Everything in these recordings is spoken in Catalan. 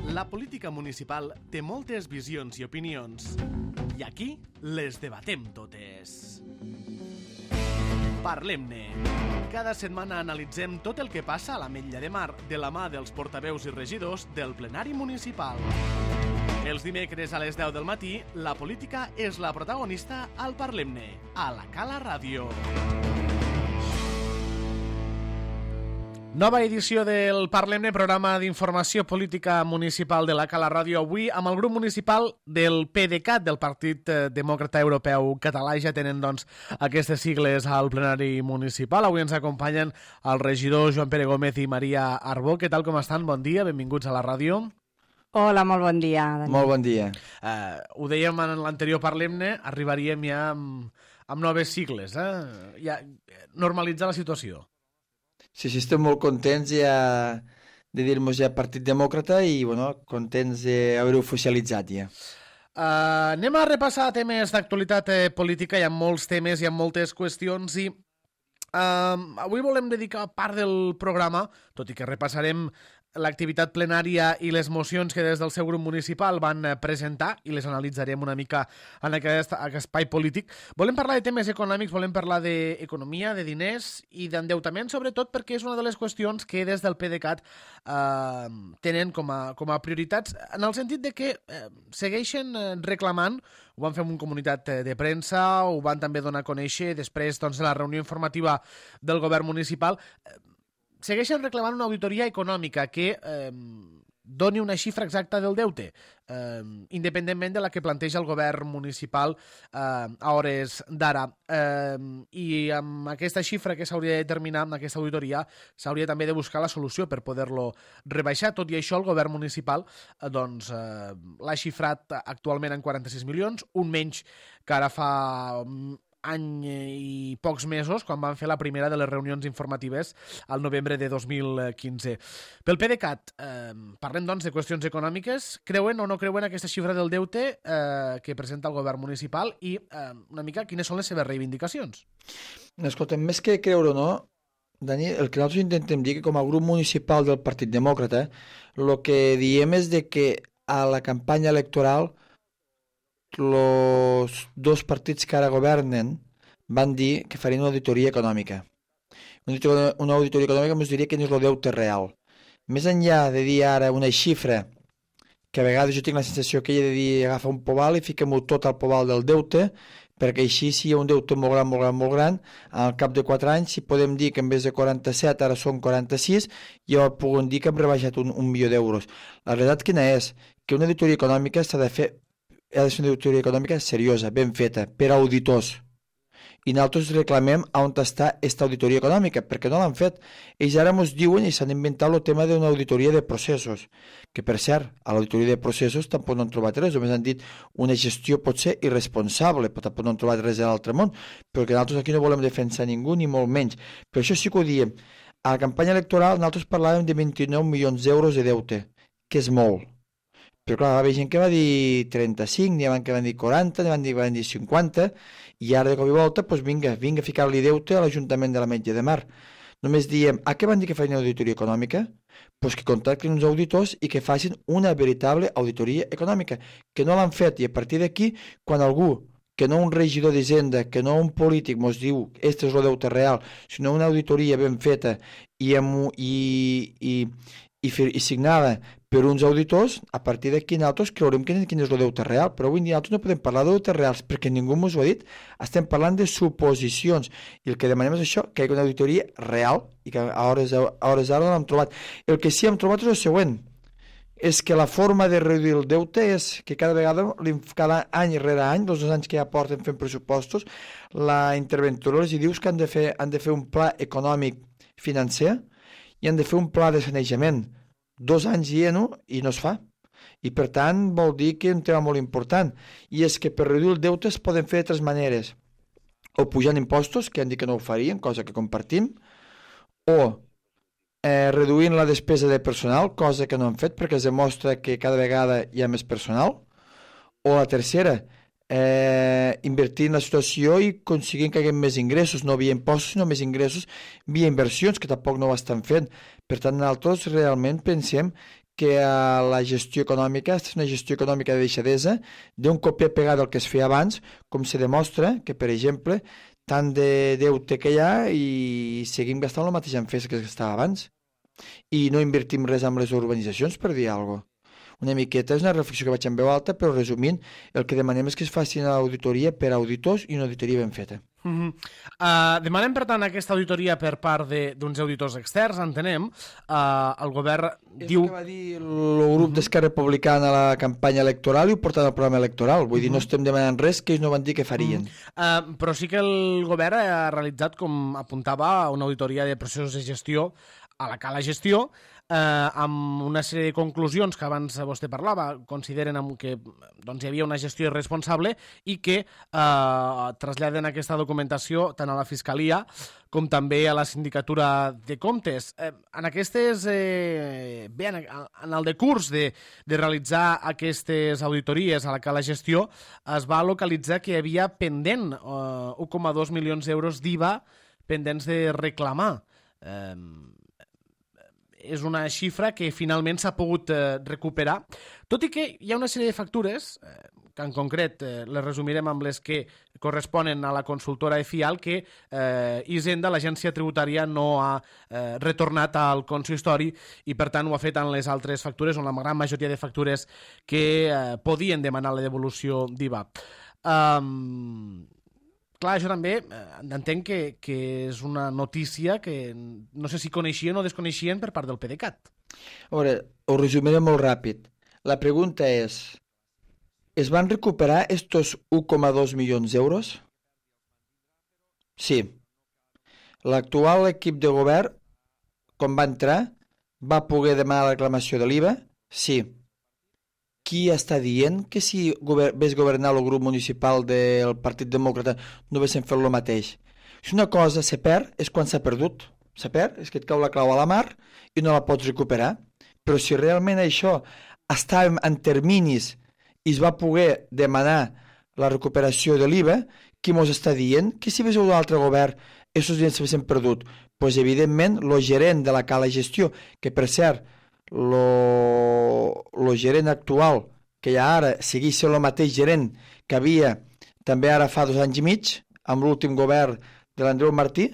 La política municipal té moltes visions i opinions, i aquí les debatem totes. Parlem-ne. Cada setmana analitzem tot el que passa a l'Ametlla de Mar de la mà dels portaveus i regidors del plenari municipal. Els dimecres a les 10 del matí, la política és la protagonista al Parlem-ne, a la Cala Ràdio. Nova edició del Parlem-ne, programa d'informació política municipal de la Cala Ràdio, avui amb el grup municipal del PDeCAT, del Partit Demòcrata Europeu Català. Ja tenen, doncs, aquestes sigles al plenari municipal. Avui ens acompanyen el regidor Joan Pere Gómez i Maria Arbó. Què tal, com estan? Bon dia, benvinguts a la ràdio. Hola, molt bon dia, Dani. Molt bon dia. Ho dèiem en l'anterior Parlem-ne, arribaríem ja amb noves sigles, ja normalitzar la situació. Sí, estem molt contents ja de dir-nos ja Partit Demòcrata i, contents d'haver-ho oficialitzat ja. Anem a repassar temes d'actualitat política. Hi ha molts temes, hi ha moltes qüestions i avui volem dedicar part del programa, tot i que repassarem l'activitat plenària i les mocions que des del seu grup municipal van presentar i les analitzarem una mica en aquest espai polític. Volem parlar de temes econòmics, volem parlar d'economia, de diners i d'endeutament, sobretot perquè és una de les qüestions que des del PDeCAT tenen com a prioritats, en el sentit de que segueixen reclamant, ho van fer en una comunitat de premsa, ho van també donar a conèixer després de la reunió informativa del govern municipal, segueixen reclamant una auditoria econòmica que doni una xifra exacta del deute, independentment de la que planteja el govern municipal a hores d'ara. I amb aquesta xifra que s'hauria de determinar, amb aquesta auditoria, s'hauria també de buscar la solució per poder-lo rebaixar. Tot i això, el govern municipal l'ha xifrat actualment en 46 milions, un menys que ara fa any i pocs mesos, quan van fer la primera de les reunions informatives al novembre de 2015. Pel PDeCAT, parlem doncs de qüestions econòmiques. Creuen o no creuen aquesta xifra del deute que presenta el govern municipal i una mica quines són les seves reivindicacions? Escolta, més que creure o no, Dani, el que nosaltres intentem dir que com a grup municipal del Partit Demòcrata, el que diem és de que a la campanya electoral els dos partits que ara governen van dir que farien una auditoria econòmica. Una auditoria econòmica ens diria que no és el deute real. Més enllà de dir ara una xifra, que a vegades jo tinc la sensació que ella de dir agafa un pobal i fiquem-ho tot al pobal del deute, perquè així si hi ha un deute molt gran, molt gran, molt gran, al cap de 4 anys, si podem dir que en vez de 47 ara són 46, ja podem dir que hem rebaixat un milió d'euros. La realitat quina és? Que una auditoria econòmica ha de ser una auditoria econòmica seriosa, ben feta, per auditors. I nosaltres reclamem on està aquesta auditoria econòmica, perquè no l'han fet. Ells ara ens diuen i s'han inventat el tema d'una auditoria de processos, que per cert, a l'auditoria de processos tampoc no han trobat res, només han dit una gestió pot ser irresponsable, però tampoc no han trobat res de l'altre món, perquè nosaltres aquí no volem defensar ningú, ni molt menys. Per això sí que ho diem. A la campanya electoral nosaltres parlàvem de 29 milions d'euros de deute, que és molt. Però clar, va haver gent que va dir 35, n'hi ha que van dir 40, n'hi van dir 50, i ara de cop i volta, doncs vinga a ficar-li deute a l'Ajuntament de l'Ametlla de Mar. Només diem, a què van dir que feien auditoria econòmica? Doncs que contactin uns auditors i que facin una veritable auditoria econòmica, que no l'han fet, i a partir d'aquí, quan algú, que no un regidor d'Hisenda, que no un polític ens diu este és el deute real, sinó una auditoria ben feta i signada per uns auditors, a partir d'aquí nosaltres creurem quin és el deute real, però avui nosaltres no podem parlar de deutes reals perquè ningú ens ho ha dit, estem parlant de suposicions i el que demanem és això, que hi hagi una auditoria real i que a hores d'ara no l'hem trobat. El que sí hem trobat és el següent, és que la forma de reduir el deute és que cada any rere any, els 2 anys que ja porten fent pressupostos, la interventora els dius que han de fer un pla econòmic financer i han de fer un pla de sanejament. 2 anys dient-ho i no es fa. I per tant vol dir que un tema molt important i és que per reduir el deute es poden fer de 3 maneres. O pujant impostos, que han dit que no ho farien, cosa que compartim, o reduint la despesa de personal, cosa que no han fet perquè es demostra que cada vegada hi ha més personal, o la tercera, invertir en la situació i aconseguint que hi hagi més ingressos, no via impostos sinó més ingressos via inversions, que tampoc no ho estan fent. Per tant, nosaltres realment pensem que a la gestió econòmica, és una gestió econòmica de deixadesa, d'un copia-pegar del que es feia abans, com se demostra que, per exemple, tant de deute que hi ha i seguim gastant el mateix en fes que es gastava abans. I no invertim res amb les urbanitzacions, per dir alguna cosa. Una miqueta és una reflexió que vaig en veu alta, però resumint, el que demanem és que es faci una auditoria per auditors i una auditoria ben feta. Demanem, per tant, aquesta auditoria per part d'uns auditors externs, entenem. El govern diu... És que va dir el grup d'Esquerra Republicana a la campanya electoral i ho porten al programa electoral. Vull dir, no estem demanant res que ells no van dir que farien. Però sí que el govern ha realitzat, com apuntava, una auditoria de processos de gestió a la cala gestió, amb una sèrie de conclusions que abans vostè parlava, consideren que doncs, hi havia una gestió irresponsable i que traslladen aquesta documentació tant a la Fiscalia com també a la Sindicatura de Comptes. En aquestes, bé, en el decurs de realitzar aquestes auditories a la cala gestió es va localitzar que hi havia pendent 1,2 milions d'euros d'IVA pendents de reclamar. És una xifra que finalment s'ha pogut recuperar, tot i que hi ha una sèrie de factures, que en concret les resumirem amb les que corresponen a la consultora EFIAL, que Hisenda, l'agència tributària, no ha retornat al consistori i per tant ho ha fet en les altres factures, on la gran majoria de factures que podien demanar la devolució d'IVA. Clar, això també entenc que és una notícia que no sé si coneixien o desconeixien per part del PDeCAT. A veure, ho resumiré molt ràpid. La pregunta és, ¿es van recuperar estos 1,2 milions d'euros? Sí. L'actual equip de govern, quan va entrar, va poder demanar la reclamació de l'IVA? Sí. Qui està dient que si ves governar el grup municipal del Partit Demòcrata no haguessin fet el mateix? Si una cosa se perd és quan s'ha perdut. S'ha perd, és que et cau la clau a la mar i no la pots recuperar. Però si realment això estàvem en terminis i es va poder demanar la recuperació de l'IVA, qui mos està dient que si hagués un altre govern aquests diners s'haguessin perdut? Doncs evidentment el gerent de la cala gestió, que per cert el gerent actual, que ja ara segueix sent el mateix gerent que havia també ara fa 2 anys i mig, amb l'últim govern de l'Andreu Martí,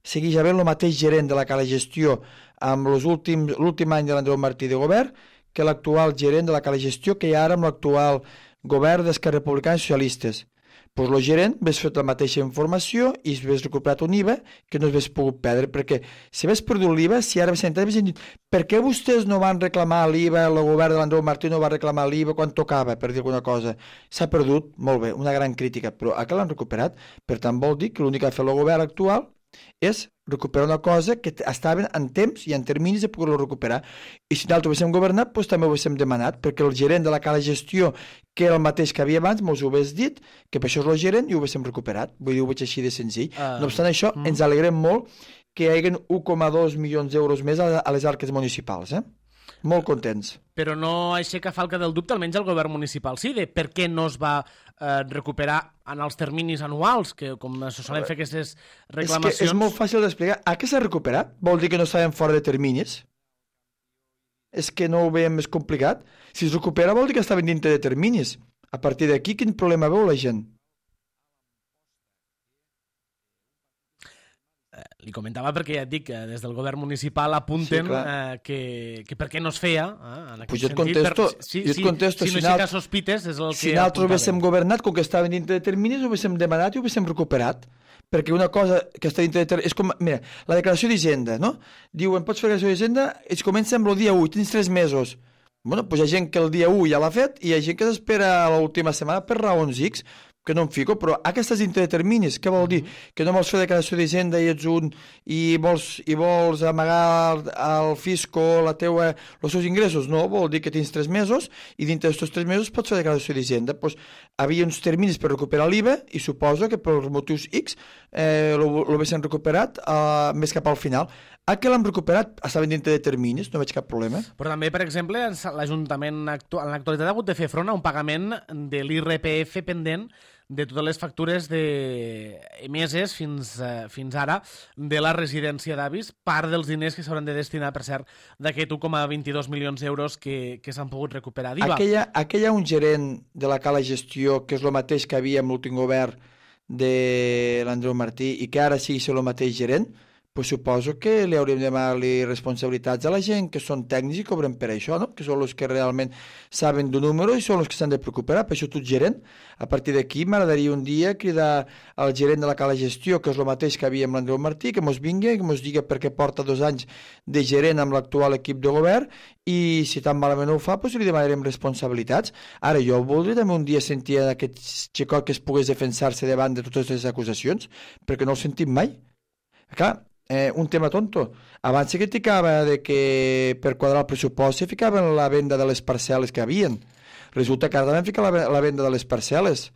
segueix havent el mateix gerent de la cala gestió amb l'últim any de l'Andreu Martí de govern que l'actual gerent de la cala gestió que hi ha ara amb l'actual govern d'Esquerra Republicana i Socialistes. Doncs el gerent hagués fet la mateixa informació i hagués recuperat un IVA que no hagués pogut perdre, perquè si hagués perdut l'IVA, si ara hagués dit per què vostès no van reclamar l'IVA, el govern de l'Andreu Martí no va reclamar l'IVA quan tocava, per dir alguna cosa. S'ha perdut, molt bé, una gran crítica, però ara l'han recuperat, per tant vol dir que l'únic que ha fet el govern actual és recuperar una cosa que estaven en temps i en terminis de poder-lo recuperar. I si nosaltres ho haguéssim governat, doncs també ho haguéssim demanat, perquè el gerent de la cala gestió, que era el mateix que havia abans, mos ho hagués dit, que per això és el gerent i ho haguéssim recuperat. Vull dir, ho veig així de senzill. No obstant això, ens alegrem molt que hi hagi 1,2 milions d'euros més a les arques municipals, Molt contents. Però no aixeca falca del dubte, almenys el govern municipal sí, de per què no es va recuperar en els terminis anuals, que com se solen fer aquestes reclamacions... És que és molt fàcil d'explicar. A què s'ha recuperat? Vol dir que no estaven fora de terminis? És que no ho veiem més complicat. Si es recupera vol dir que estaven dintre de terminis. A partir d'aquí, quin problema veu la gent? Li comentava perquè ja et dic que des del govern municipal apunten que per què no es feia en aquest sentit. Jo et contesto. Si no aixeca sospites és el que si nosaltres ho haguéssim governat, com que estaven dintre de terminis, ho haguéssim demanat i ho haguéssim recuperat. Perquè una cosa que està dintre de terminis... És com, mira, la declaració d'Hisenda, no? Diuen, pots fer la declaració d'Hisenda, i comença amb el dia 1, tens 3 mesos. Bueno, doncs hi ha gent que el dia 1 ja l'ha fet i hi ha gent que s'espera a l'última setmana per raons X, que no em fico, però aquestes dintre de terminis, què vol dir? Que no vols fer declaració d'Hisenda i ets un i vols amagar al fisco els seus ingressos? No, vol dir que tens 3 mesos i dintre d'aquests 3 mesos pots fer declaració d'Hisenda. Pues, havia uns terminis per recuperar l'IVA i suposo que per motius X l'haguessin recuperat més cap al final. A què l'han recuperat? Estaven dintre de terminis, no veig cap problema. Però també, per exemple, l'Ajuntament en l'actualitat ha hagut de fer front a un pagament de l'IRPF pendent de totes les factures emeses fins ara de la residència d'avis, part dels diners que s'hauran de destinar, per cert, d'aquest 1,22 milions d'euros que s'han pogut recuperar d'IVA. Aquella un gerent de la Cala Gestió, que és el mateix que havia amb l'últim govern de l'Andreu Martí i que ara sigui el mateix gerent, pues suposo que li hauríem de demanar-li responsabilitats a la gent que són tècnics i cobren per això, no? Que són els que realment saben d'un número i són els que s'han de preocupar. Per això tu ets gerent. A partir d'aquí m'agradaria un dia cridar al gerent de la Cala Gestió, que és el mateix que havia amb l'Andreu Martí, que mos vingui, que mos digui perquè porta 2 anys de gerent amb l'actual equip de govern i si tan malament ho fa, pues li demanarem responsabilitats. Ara, jo voldria també un dia sentir aquest xicot que es pogués defensar-se davant de totes les acusacions, perquè no el sentim mai. Clar, un tema tonto. Abans se criticava de que per quadrar el pressupost se ficaven la venda de les parcel·les que havien. Resulta que ara també fica la venda de les parcel·les.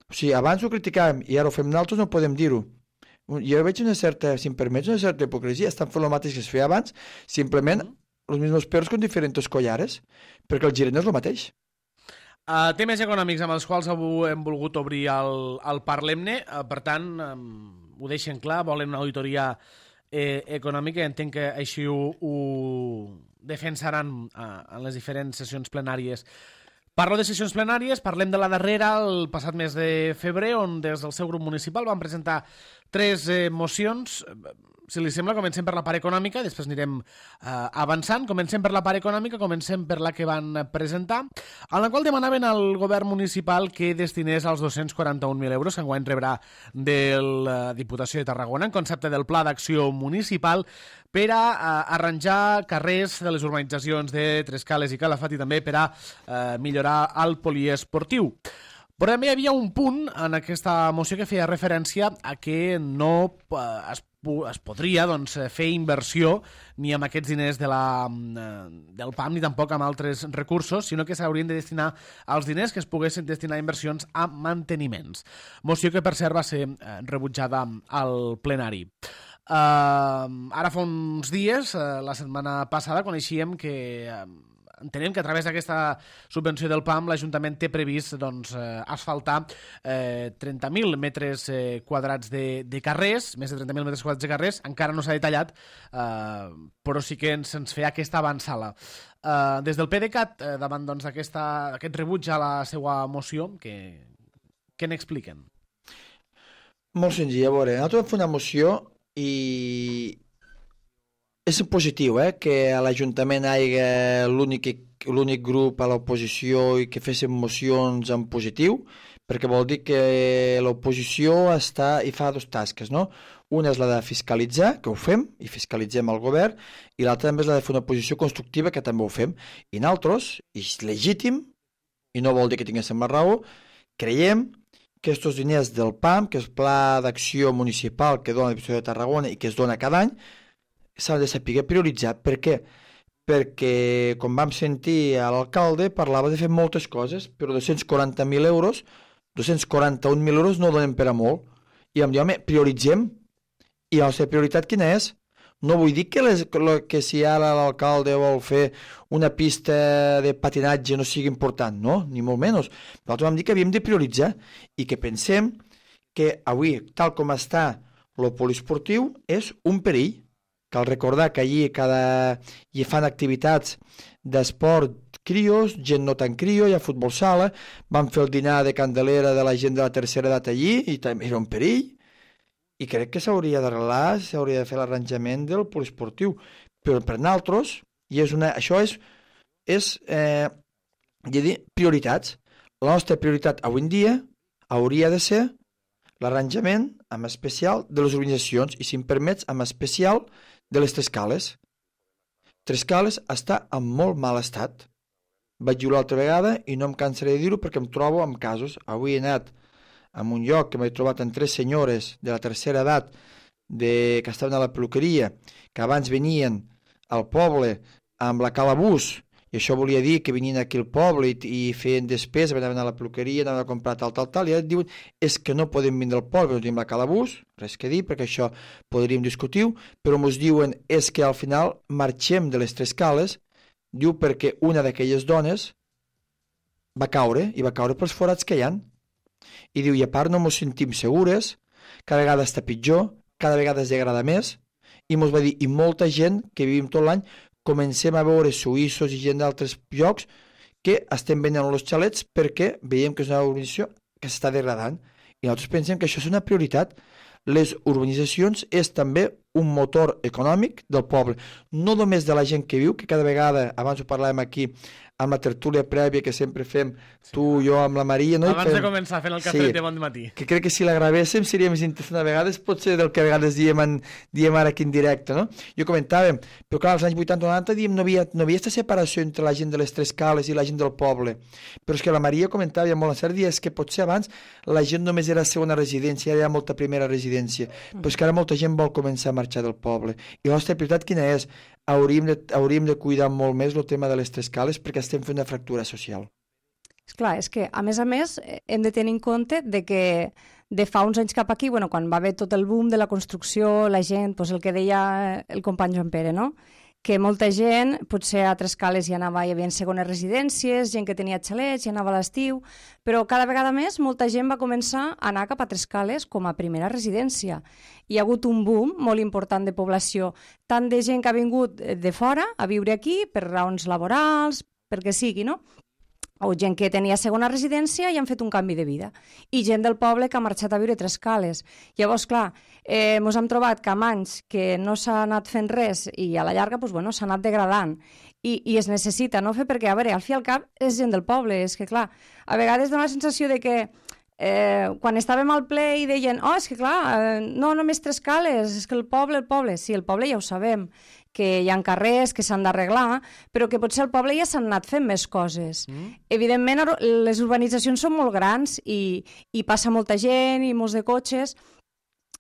O sigui, abans ho criticàvem i ara ho fem nosaltres, no podem dir-ho. Jo veig una certa, si em permets, una certa hipocresia. Estan fent el mateix que es feia abans, simplement els mismos perros con diferents collares, perquè el gerent és el mateix. Temes econòmics amb els quals hem volgut obrir el Parlem-ne, per tant, ho deixen clar, volen una auditoria econòmica, entenc que així ho defensaran en les diferents sessions plenàries. Parlo de sessions plenàries, parlem de la darrera, el passat mes de febrer, on des del seu grup municipal van presentar 3 mocions. Si li sembla, comencem per la part econòmica, després anirem avançant. Comencem per la part econòmica, comencem per la que van presentar, en la qual demanaven al govern municipal que destinés els 241.000 euros que enguany rebrà de la Diputació de Tarragona en concepte del Pla d'Acció Municipal per a arranjar carrers de les urbanitzacions de Trescales i Calafat i també per a millorar el poliesportiu. Però també hi havia un punt en aquesta moció que feia referència a que no es podria fer inversió ni amb aquests diners del PAM ni tampoc amb altres recursos, sinó que s'haurien de destinar els diners que es poguessin destinar a inversions a manteniments. Moció que, per cert, va ser rebutjada al plenari. Ara fa uns dies, la setmana passada, coneixíem que entenem que a través d'aquesta subvenció del PAM l'Ajuntament té previst asfaltar 30.000 metres quadrats de carrers, més de 30.000 metres quadrats de carrers, encara no s'ha detallat, però sí que se'ns feia aquesta avançada. Des del PDeCAT, davant d'aquest rebuig a la seva moció, què n'expliquen? Molt senzill, a veure, nosaltres vam fer una moció i és positiu que a l'Ajuntament hi hagi l'únic grup a l'oposició i que fessin mocions en positiu, perquè vol dir que l'oposició està i fa 2 tasques, no? Una és la de fiscalitzar, que ho fem, i fiscalitzem el govern, i l'altra també és la de fer una posició constructiva, que també ho fem. I nosaltres, i és legítim, i no vol dir que tinguéssim la raó, creiem que aquests diners del PAM, que és el Pla d'Acció Municipal que dona la Diputació de Tarragona i que es dona cada any, s'ha de saber prioritzar. Per què? Perquè, com vam sentir a l'alcalde, parlava de fer moltes coses, però 241.000 euros no donen per a molt. I em diu, home, prioritzem. I la seva prioritat quina és? No vull dir que si ara l'alcalde vol fer una pista de patinatge no sigui important, no, ni molt menys. Nosaltres vam dir que havíem de prioritzar i que pensem que avui, tal com està el poliesportiu, és un perill. Cal recordar que allí hi fan activitats d'esport crios, gent no tan crio, hi ha futbol sala, van fer el dinar de Candelera de la gent de la tercera edat allí i també era un perill. I crec que s'hauria d'arreglar, s'hauria de fer l'arranjament del poliesportiu. Però per nosaltres, això és prioritats. La nostra prioritat avui en dia hauria de ser l'arranjament amb especial de les organitzacions i, si em permets, amb especial de les Trescales. Trescales està en molt mal estat. Vaig dir l'altra vegada i no em cansaré de dir-ho perquè em trobo amb casos. Avui he anat a un lloc que m'he trobat amb 3 senyores de la tercera edat que estaven a la peluqueria, que abans venien al poble amb la calabús, i això volia dir que venien aquí al poble i feien despesa, anaven a la peluqueria, anaven a comprar tal, i ara diuen és que no podem vindre al poble, no tenim la calabús, res que dir, perquè això podríem discutir, però ens diuen és que al final marxem de les Trescales, diu perquè una d'aquelles dones va caure, i va caure pels forats que hi ha. I diu, i a part no ens sentim segures, cada vegada està pitjor, cada vegada es degrada més, i ens va dir, i molta gent que vivim tot l'any, comencem a veure suïssos i gent d'altres llocs que estem venent els xalets perquè veiem que és una urbanització que s'està degradant. I nosaltres pensem que això és una prioritat. Les urbanitzacions és també un motor econòmic del poble, no només de la gent que viu, que cada vegada, abans ho parlàvem aquí, amb la tertúlia prèvia que sempre fem, tu, jo, amb la Maria... No? Abans de començar fent el cafè de bon matí. Que crec que si la gravéssim seria més interessant a vegades, pot ser del que a vegades diem ara aquí en directe, no? Jo comentàvem, però clar, als anys 80-90 diem no havia aquesta separació entre la gent de les Tres Cales i la gent del poble, però és que la Maria comentava, i molt encert, és que potser abans la gent només era segona residència, ara hi ha molta primera residència, però és que ara molta gent vol començar a marxar del poble. I la nostra prioritat quina és? Hauríem de cuidar molt més el tema de les Tres Cales perquè estem fent una fractura social. Esclar, és que, a més, hem de tenir en compte de que de fa uns anys cap aquí, quan va haver tot el boom de la construcció, la gent, el que deia el company Joan Pere, no? Que molta gent, potser a Tres Cales hi havia segones residències, gent que tenia xalets, hi anava a l'estiu, però cada vegada més molta gent va començar a anar cap a Tres Cales com a primera residència. Hi ha hagut un boom molt important de població, tant de gent que ha vingut de fora a viure aquí per raons laborals, perquè sigui, no? O gent que tenia segona residència i han fet un canvi de vida. I gent del poble que ha marxat a viure a Tres Cales. Llavors, clar, ens hem trobat que amb anys que no s'ha anat fent res i a la llarga s'ha anat degradant. I es necessita no fer perquè, a veure, al fi i al cap és gent del poble. És que, clar, a vegades dona la sensació de que quan estàvem al ple i deien és que clar, no només Tres Cales, és que el poble, sí, el poble ja ho sabem, que hi ha carrers que s'han d'arreglar, però que potser al poble ja s'han anat fent més coses. Evidentment, les urbanitzacions són molt grans i passa molta gent i molts de cotxes,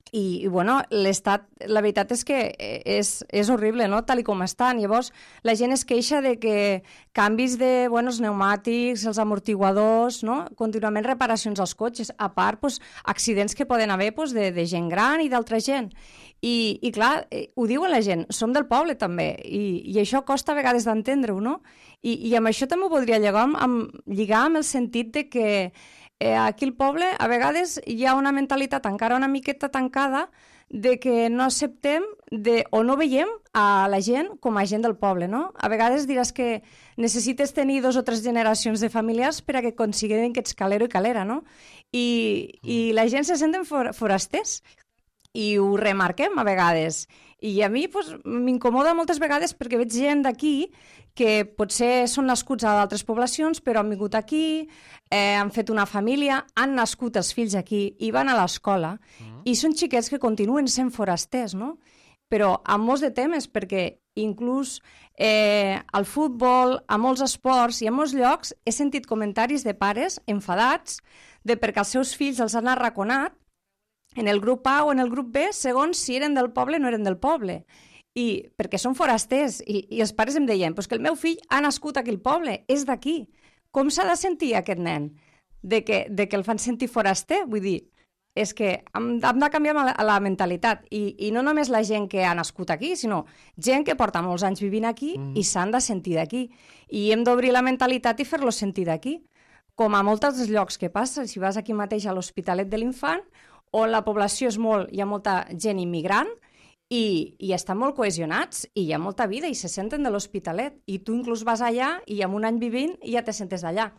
i l'estat, la veritat és que és horrible, no?, tal com estan. Llavors, la gent es queixa de que canvis de els pneumàtics, els amortiguadors, no?, contínuament reparacions als cotxes, a part, accidents que poden haver de gent gran i d'altra gent. I clar, ho diuen la gent, som del poble també, i això costa a vegades d'entendre-ho, no? I amb això també ho voldria lligar amb el sentit de que aquí al poble a vegades hi ha una mentalitat encara una miqueta tancada de que no acceptem o no veiem a la gent com a gent del poble, no? A vegades diràs que necessites tenir 2 o 3 generacions de familiars per a que considerin que ets calero i calera, no? I la gent se senten forasters i ho remarquem a vegades. I a mi m'incomoda moltes vegades perquè veig gent d'aquí que potser són nascuts a d'altres poblacions, però han vingut aquí, han fet una família, han nascut els fills aquí i van a l'escola, i són xiquets que continuen sent forasters, no? Però amb molts de temes, perquè inclús al futbol, a molts esports i a molts llocs he sentit comentaris de pares enfadats perquè els seus fills els han arraconat en el grup A o en el grup B, segons si eren del poble o no eren del poble. I perquè són forasters. I els pares em deien que el meu fill ha nascut aquí al poble, és d'aquí. Com s'ha de sentir aquest nen? De que el fan sentir foraster? Vull dir, és que hem de canviar la mentalitat. I no només la gent que ha nascut aquí, sinó gent que porta molts anys vivint aquí i s'han de sentir d'aquí. I hem d'obrir la mentalitat i fer-los sentir d'aquí. Com a molts dels llocs que passa, si vas aquí mateix a l'Hospitalet de l'Infant, on la població és hi ha molta gent immigrant i estan molt cohesionats i hi ha molta vida i se senten de l'Hospitalet i tu inclús vas allà i amb un any vivint i ja te sentes d'allà.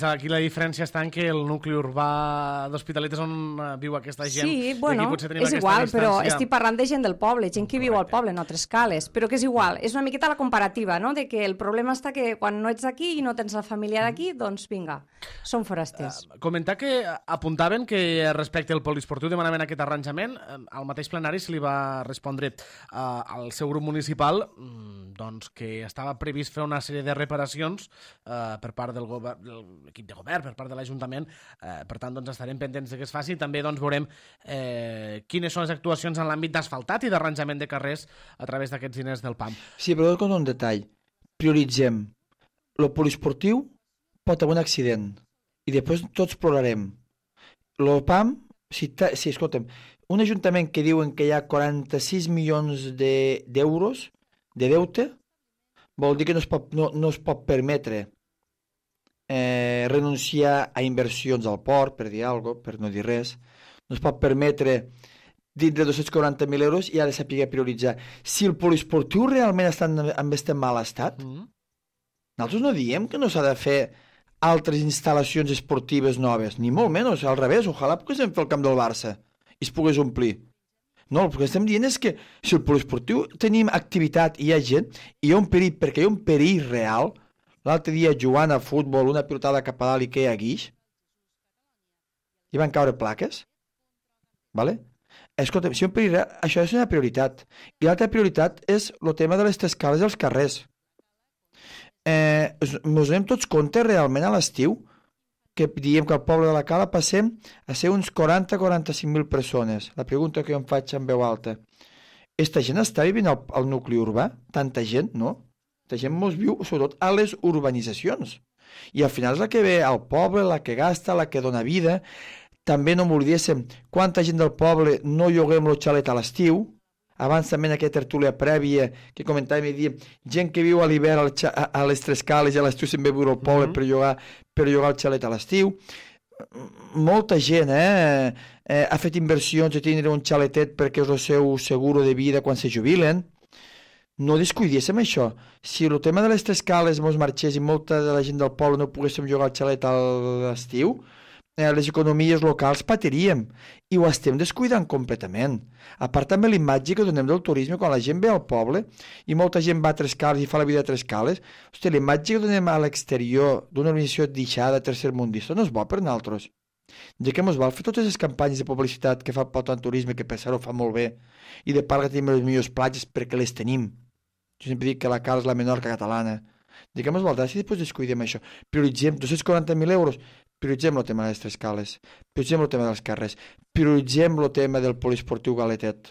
Aquí la diferència està en que el nucli urbà d'Hospitalet és on viu aquesta gent. Sí, és igual, però estic parlant de gent del poble, gent que viu al poble, no a Tres Cales, però que és igual, és una miqueta la comparativa, no?, de que el problema està que quan no ets aquí i no tens la família d'aquí, doncs vinga, són forasters. Comentar que apuntaven que respecte al poliesportiu demanaven aquest arranjament, al mateix plenari se li va respondre al seu grup municipal doncs que estava previst fer una sèrie de reparacions per part de l'equip de govern, per part de l'Ajuntament. Per tant, doncs estarem pendents de que es faci. També doncs veurem quines són les actuacions en l'àmbit d'asfaltat i d'arranjament de carrers a través d'aquests diners del PAM. Sí, però com un detall. Prioritzem. El poliesportiu pot haver un accident i després tots plorarem. El PAM, escolta'm, un ajuntament que diuen que hi ha 46 milions d'euros de deute, vol dir que no es pot permetre renunciar a inversions al port, per dir alguna cosa, per no dir res. No es pot permetre dintre de 240.000 euros i ha de saber prioritzar. Si el poliesportiu realment està en este mal estat, nosaltres no diem que no s'ha de fer altres instal·lacions esportives noves, ni molt menys, al revés, ojalà poguéssim fer el camp del Barça i es pogués omplir. No, el que estem dient és que si el poliesportiu tenim activitat i hi ha gent, i hi ha un perill, perquè hi ha un perill real. L'altre dia jugant a futbol, una pilotada cap a dalt i queia guix, i van caure plaques, vale? Escolta, si hi ha un perill real, això és una prioritat. I l'altra prioritat és el tema de les escales als carrers. Ens donem tots compte realment a l'estiu que diem que al poble de la Cala passem a ser uns 40-45.000 persones. La pregunta que jo em faig en veu alta. Esta gent està vivint al nucli urbà? Tanta gent, no? Tanta gent mos viu, sobretot, a les urbanitzacions. I al final és la que ve al poble, la que gasta, la que dona vida. També no m'oblidéssim quanta gent del poble no lloguem el xalet a l'estiu. Abans també en aquesta tertúlia prèvia que comentàvem i diem gent que viu a l'hivern a les Tres Cales i a l'estiu se'n ve a viure al poble per llogar el xalet a l'estiu. Molta gent ha fet inversions de tindre un xaletet perquè és el seu seguro de vida quan se jubilen. No descuidéssim això. Si el tema de les Tres Cales mos marxés i molta de la gent del poble no poguéssim llogar el xalet a l'estiu, les economies locals patiríem i ho estem descuidant completament. A part també l'imatge que donem del turisme quan la gent ve al poble i molta gent va a Tres Cales i fa la vida a Tres Cales, hosti, l'imatge que donem a l'exterior d'una organització deixada tercermundista no és bo per nosaltres. Ja que ens val fer totes les campanyes de publicitat que fa el Pota en Turisme, que per cert ho fa molt bé, i de part que tenim les millors platges perquè les tenim. Jo sempre dic que la Cala és la Menorca catalana. Ja que ens val si després descuidem això. Prioritzem 240.000 euros. Prioritzem el tema de les Tres Cales, prioritzem el tema dels carrers, prioritzem el tema del poliesportiu Galetet,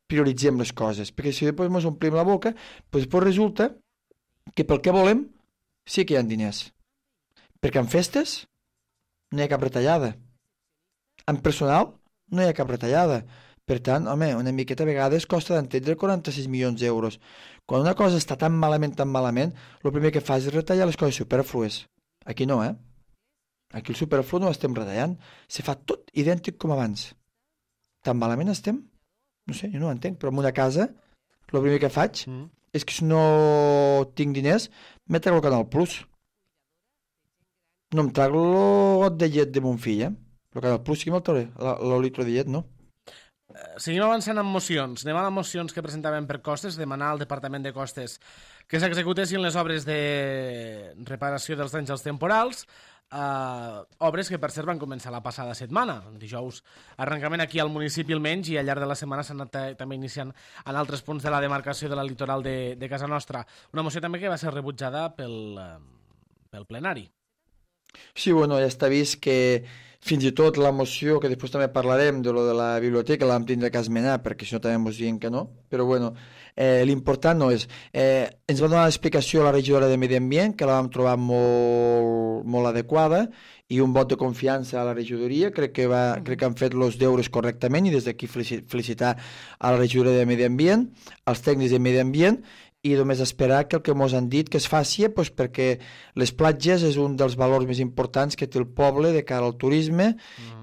prioritzem les coses, perquè si després ens omplim la boca, doncs resulta que pel que volem sí que hi ha diners. Perquè en festes no hi ha cap retallada. En personal no hi ha cap retallada. Per tant, home, una miqueta a vegades costa d'entendre 46 milions d'euros. Quan una cosa està tan malament, el primer que fas és retallar les coses superflues. Aquí no, Aquí el superflu no l'estem retallant. Se fa tot idèntic com abans. Tan malament estem? No sé, jo no ho entenc, però en una casa el primer que faig és que si no tinc diners me trago el Canal Plus. No em trago el got de llet de mon fill, El Canal Plus sí que me'l trauré, el litro de llet no. Seguim avançant amb mocions. Anem a les mocions que presentàvem per Costes, demanar al Departament de Costes que s'executessin les obres de reparació dels danys als temporals, obres que per cert van començar la passada setmana. Dijous arrencament aquí al municipi almenys i al llarg de la setmana s'han anat també iniciant en altres punts de la demarcació de la litoral de casa nostra. Una moció també que va ser rebutjada pel plenari. Sí, bueno, ja està vist que fins i tot la moció, que després també parlarem de lo de la biblioteca, la vam tindre que esmenar, perquè si no també ens diuen que no, però bueno, l'important no és... ens va donar l'explicació a la regidora de Medi Ambient, que la vam trobar molt adequada, i un vot de confiança a la regidoria, crec que han fet els deures correctament, i des d'aquí felicitar a la regidora de Medi Ambient, als tècnics de Medi Ambient, i només esperar que el que ens han dit que es faci, doncs perquè les platges és un dels valors més importants que té el poble de cara al turisme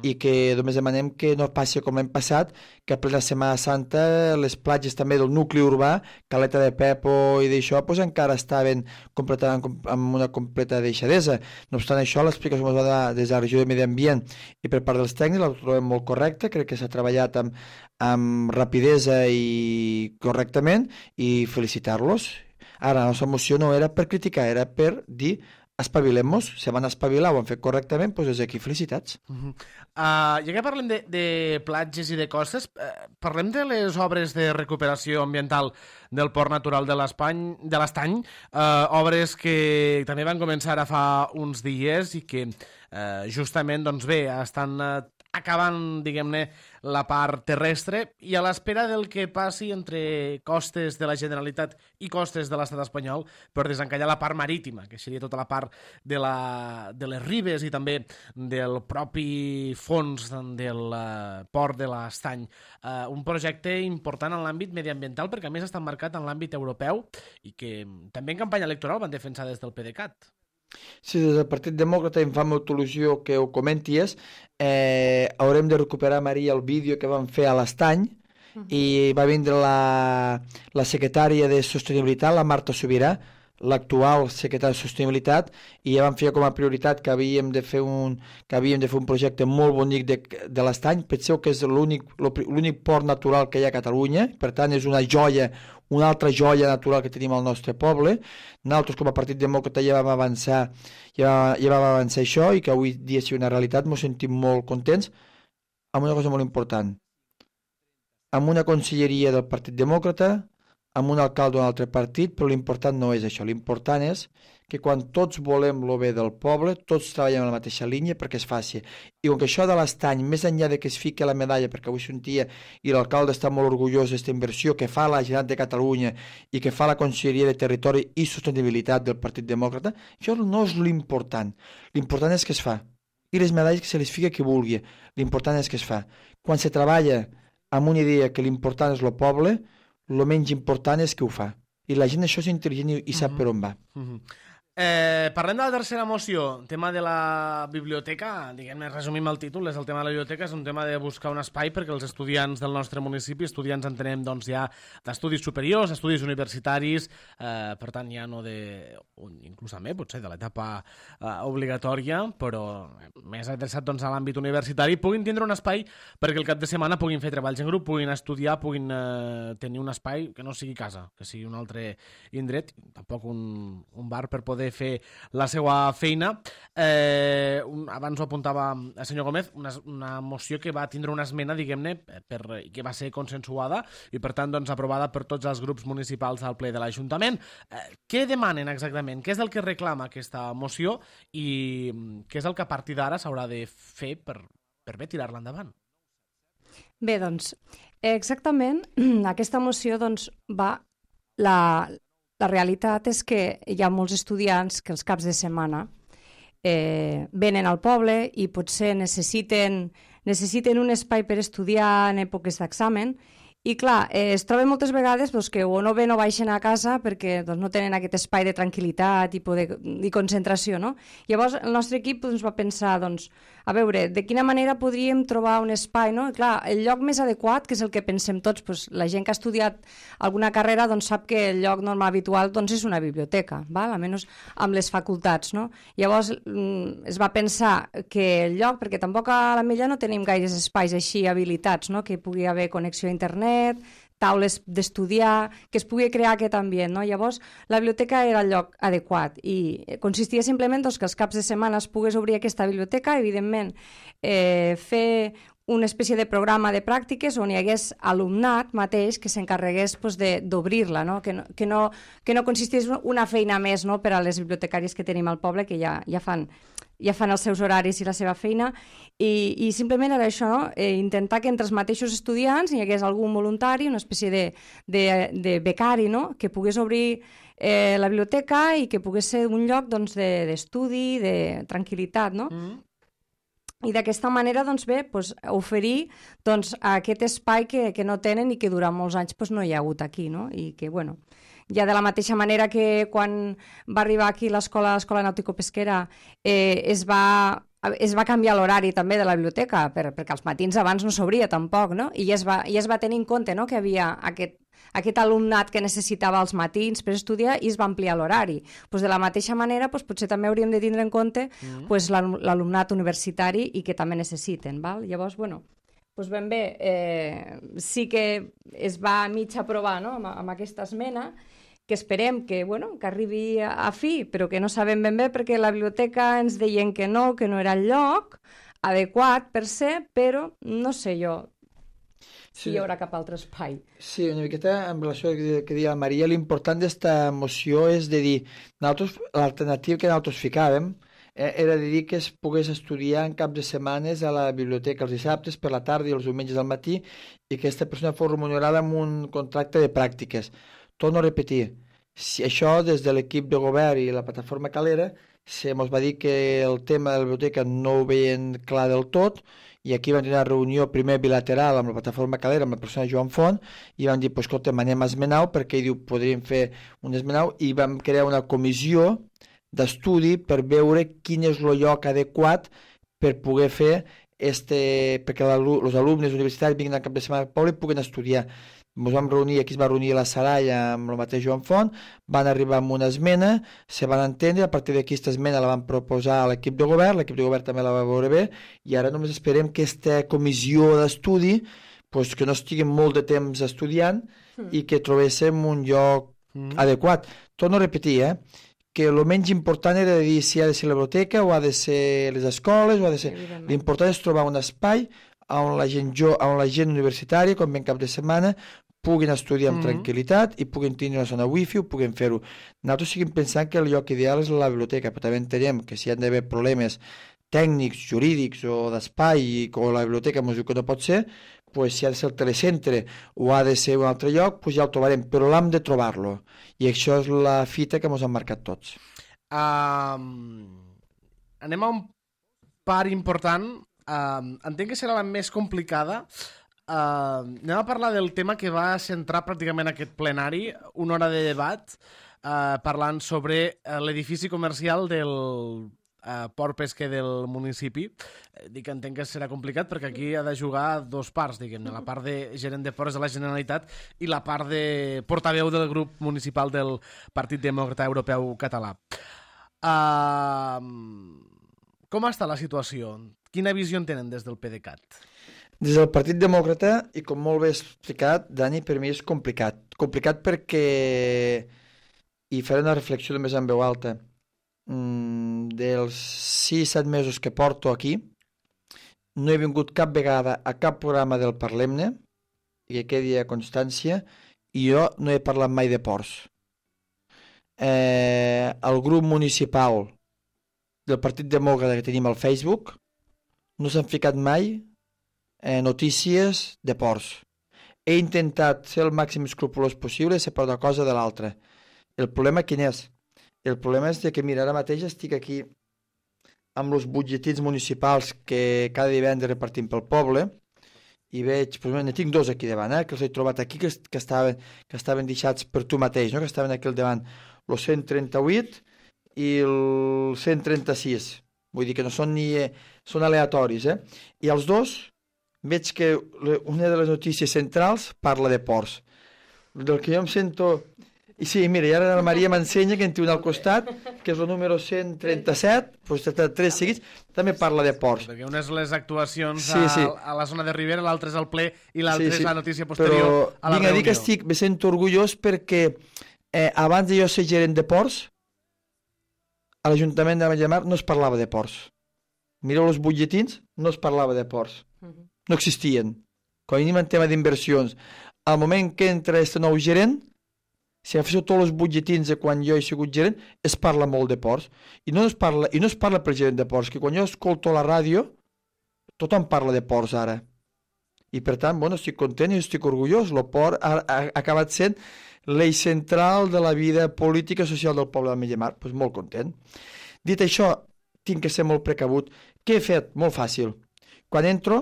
i que només demanem que no passi com l'any passat, que a plena Setmana Santa les platges també del nucli urbà, Caleta de Pepo i d'això, doncs encara estaven amb una completa deixadesa. No obstant això, l'explicació que ens va donar des de la regió de Medi Ambient i per part dels tècnics la trobem molt correcta, crec que s'ha treballat amb rapidesa i correctament i felicitar-los. Ara, la nostra moció no era per criticar, era per dir espavilem-nos, se van espavilar, ho han fet correctament, doncs des d'aquí felicitats. Ja que parlem de platges i de costes, parlem de les obres de recuperació ambiental del Port Natural de l'Estany, obres que també van començar a fa uns dies i que justament, doncs bé, estan acabant, diguem-ne, la part terrestre i a l'espera del que passi entre costes de la Generalitat i costes de l'estat espanyol per desencallar la part marítima, que seria tota la part de les ribes i també del propi fons del port de l'Estany. Un projecte important en l'àmbit mediambiental perquè a més està marcat en l'àmbit europeu i que també en campanya electoral van defensar des del PDeCAT. Si des del Partit Demòcrata em fa molta il·lusió que ho comenties, haurem de recuperar, Maria, el vídeo que vam fer a l'Estany, i va vindre la secretària de Sostenibilitat, la Marta Sobirà, l'actual secretària de Sostenibilitat, i ja vam fer com a prioritat que havíem de fer un projecte molt bonic de l'Estany. Penseu que és l'únic port natural que hi ha a Catalunya, per tant és una joia, una altra joia natural que tenim al nostre poble. Nosaltres com a Partit Demòcrata ja vam avançar això, i que avui dia sigui una realitat. Ens sentim molt contents amb una cosa molt important, amb una conselleria del Partit Demòcrata, amb un alcalde d'un altre partit, però l'important no és això. L'important és que quan tots volem el bé del poble, tots treballem en la mateixa línia perquè és fàcil. I com que això de l'Estany, més enllà de que es fiqui la medalla, perquè avui sentia i l'alcalde està molt orgullós d'aquesta inversió que fa la Generalitat de Catalunya i que fa la Conselleria de Territori i Sostenibilitat del Partit Demòcrata, això no és l'important. L'important és que es fa. I les medalles que se les fica qui vulgui. L'important és que es fa. Quan se treballa amb una idea que l'important és el poble, el menys important és que ho fa. I la gent això és intel·ligent i sap per on va. Parlem de la tercera moció, tema de la biblioteca. Diguem-ne, resumim el títol, és el tema de la biblioteca, és un tema de buscar un espai perquè els estudiants del nostre municipi, estudiants entenem doncs ja d'estudis superiors, estudis universitaris, per tant ja no inclús també potser de l'etapa obligatòria, però més adreçat doncs a l'àmbit universitari, puguin tindre un espai perquè el cap de setmana puguin fer treballs en grup, puguin estudiar, puguin tenir un espai que no sigui casa, que sigui un altre indret, tampoc un bar per poder fer la seva feina. Abans ho apuntava el senyor Gómez, una moció que va tindre una esmena, diguem-ne, que va ser consensuada i per tant doncs aprovada per tots els grups municipals al ple de l'Ajuntament. Què demanen exactament? Què és el que reclama aquesta moció i què és el que a partir d'ara s'haurà de fer per bé tirar-la endavant? Bé, doncs, exactament, aquesta moció doncs, va... La realitat és que hi ha molts estudiants que els caps de setmana venen al poble i potser necessiten un espai per estudiar en èpoques d'examen i clar, es troben moltes vegades doncs, que o no ven o baixen a casa perquè doncs, no tenen aquest espai de tranquil·litat i concentració, no? Llavors el nostre equip doncs, va pensar, doncs, a veure, de quina manera podríem trobar un espai, no? I, clar, el lloc més adequat, que és el que pensem tots, doncs, la gent que ha estudiat alguna carrera doncs, sap que el lloc normal habitual doncs, és una biblioteca, val? Almenys amb les facultats, no? Llavors es va pensar que el lloc, perquè tampoc a la Mella no tenim gaires espais així habilitats, no? Que pugui haver connexió a internet, taules d'estudiar, que es pugui crear aquest ambient, no? Llavors, la biblioteca era el lloc adequat i consistia simplement doncs, que els caps de setmana es pogués obrir aquesta biblioteca, evidentment fer una espècie de programa de pràctiques on hi hagués alumnat mateix que s'encarregués doncs, d'obrir-la, no? Que no consistís una feina més, no? Per a les bibliotecàries que tenim al poble, que ja fan els seus horaris i la seva feina, i simplement era això, no? Intentar que entre els mateixos estudiants hi hagués algun voluntari, una espècie de becari, no? Que pogués obrir la biblioteca i que pogués ser un lloc doncs, d'estudi, de tranquil·litat, no? I d'aquesta manera doncs, bé, doncs, oferir doncs, aquest espai que no tenen i que durant molts anys doncs, no hi ha hagut aquí, no? I que, bueno, ja de la mateixa manera que quan va arribar aquí l'escola nàutico-pesquera es va canviar l'horari també de la biblioteca, perquè als matins abans no s'obria tampoc, no? I ja es va tenir en compte, no? Que havia aquest alumnat que necessitava els matins per estudiar i es va ampliar l'horari. Pues de la mateixa manera pues, potser també hauríem de tindre en compte pues, l'alumnat universitari i que també necessiten. Val? Llavors, bueno, pues ben bé, sí que es va a mig aprovar, no? amb aquesta esmena, que esperem que arribi a fi, però que no sabem ben bé perquè la biblioteca ens deien que no era el lloc adequat per ser, però no sé jo si hi haurà cap altre espai. Sí, una miqueta en relació al que deia la Maria, l'important d'esta moció és de dir, l'alternativa que nosaltres ficàvem era de dir que es pogués estudiar en cap de setmanes a la biblioteca els dissabtes per la tarda i els diumenges al matí i que aquesta persona fos remunerada amb un contracte de pràctiques. Torno a repetir, si això des de l'equip de govern i la plataforma Calera ens va dir que el tema de la biblioteca no ho veien clar del tot i aquí vam tenir una reunió primer bilateral amb la plataforma Calera, amb la persona Joan Font, i vam dir, escolta, anem a esmenar-ho perquè ell diu, podríem fer un esmenar i vam crear una comissió d'estudi per veure quin és el lloc adequat per poder fer perquè els alumnes universitaris vinguin al cap de setmana al poble i puguen estudiar. Ens vam reunir, aquí es va reunir la Saralla amb el mateix Joan Font, van arribar amb una esmena, se van entendre, a partir d'aquí aquesta esmena la van proposar a l'equip de govern també la va veure bé, i ara només esperem que aquesta comissió d'estudi, pues, que no estiguin molt de temps estudiant i que trobéssim un lloc adequat. Torno a repetir, que el menys important era de dir si ha de ser la biblioteca o ha de ser les escoles, o ha de ser... L'important és trobar un espai on la gent universitària, quan ven cap de setmana, puguin estudiar amb tranquil·litat i puguin tenir una zona wifi, ho puguin fer-ho. Nosaltres seguim pensant que el lloc ideal és la biblioteca, però també entenem que si hi han d'haver problemes tècnics, jurídics o d'espai, o la biblioteca ens diu que no pot ser, pues, si ha de ser el telecentre o ha de ser un altre lloc, pues ja el trobarem, però l'hem de trobar-lo. I això és la fita que ens han marcat tots. Anem a un part important. Entenc que serà la més complicada. Anem a parlar del tema que va centrar pràcticament aquest plenari, una hora de debat, parlant sobre l'edifici comercial del port pesquer del municipi. Dic que entenc que serà complicat perquè aquí ha de jugar dos parts, diguem-ne, la part de gerent de ports de la Generalitat i la part de portaveu del grup municipal del Partit Demòcrata Europeu Català. Com està la situació? Quina visió en tenen des del PDeCAT? Des del Partit Demòcrata, i com molt bé explicat, Dani, per mi és complicat. Complicat perquè, i faré una reflexió només en veu alta, dels 6-7 mesos que porto aquí, no he vingut cap vegada a cap programa del Parlem-ne, i que quedi a constància, i jo no he parlat mai de ports. El grup municipal del Partit Demòcrata que tenim al Facebook no s'han ficat mai notícies de ports. He intentat ser el màxim escrupolós possible, separar una cosa de l'altra. El problema quin és? El problema és que, mira, ara mateix estic aquí amb els butlletins municipals que cada divendres repartim pel poble i veig, ne tinc dos aquí davant, que els he trobat aquí, que estaven deixats per tu mateix, no? Que estaven aquí al davant, el 138 i el 136. Vull dir que no són són aleatoris, I els dos veig que una de les notícies centrals parla de ports. Del que jo em sento... I sí, mira, i ara la Maria m'ensenya que en té un al costat, que és el número 137, doncs tres seguits, també parla de ports. Perquè una és les actuacions a la zona de Ribera, l'altra és el ple i l'altra és la notícia posterior a la reunió. Vinc a dir que me sento orgullós perquè abans de jo ser gerent de ports, a l'Ajuntament de Ametlla de Mar no es parlava de ports. Mireu els butlletins, no es parlava de ports. No existien. Quan venim en tema d'inversions, al moment que entra aquest nou gerent, si agaféssiu tots els butlletins de quan jo he sigut gerent, es parla molt de ports. I no es parla pel gerent de ports, que quan jo escolto la ràdio, tothom parla de ports ara. I per tant, estic content i estic orgullós. El port ha acabat sent l'eix central de la vida política i social del poble d'Ametlla de Mar. Doncs molt content. Dit això, tinc que ser molt precabut. Què he fet? Molt fàcil. Quan entro,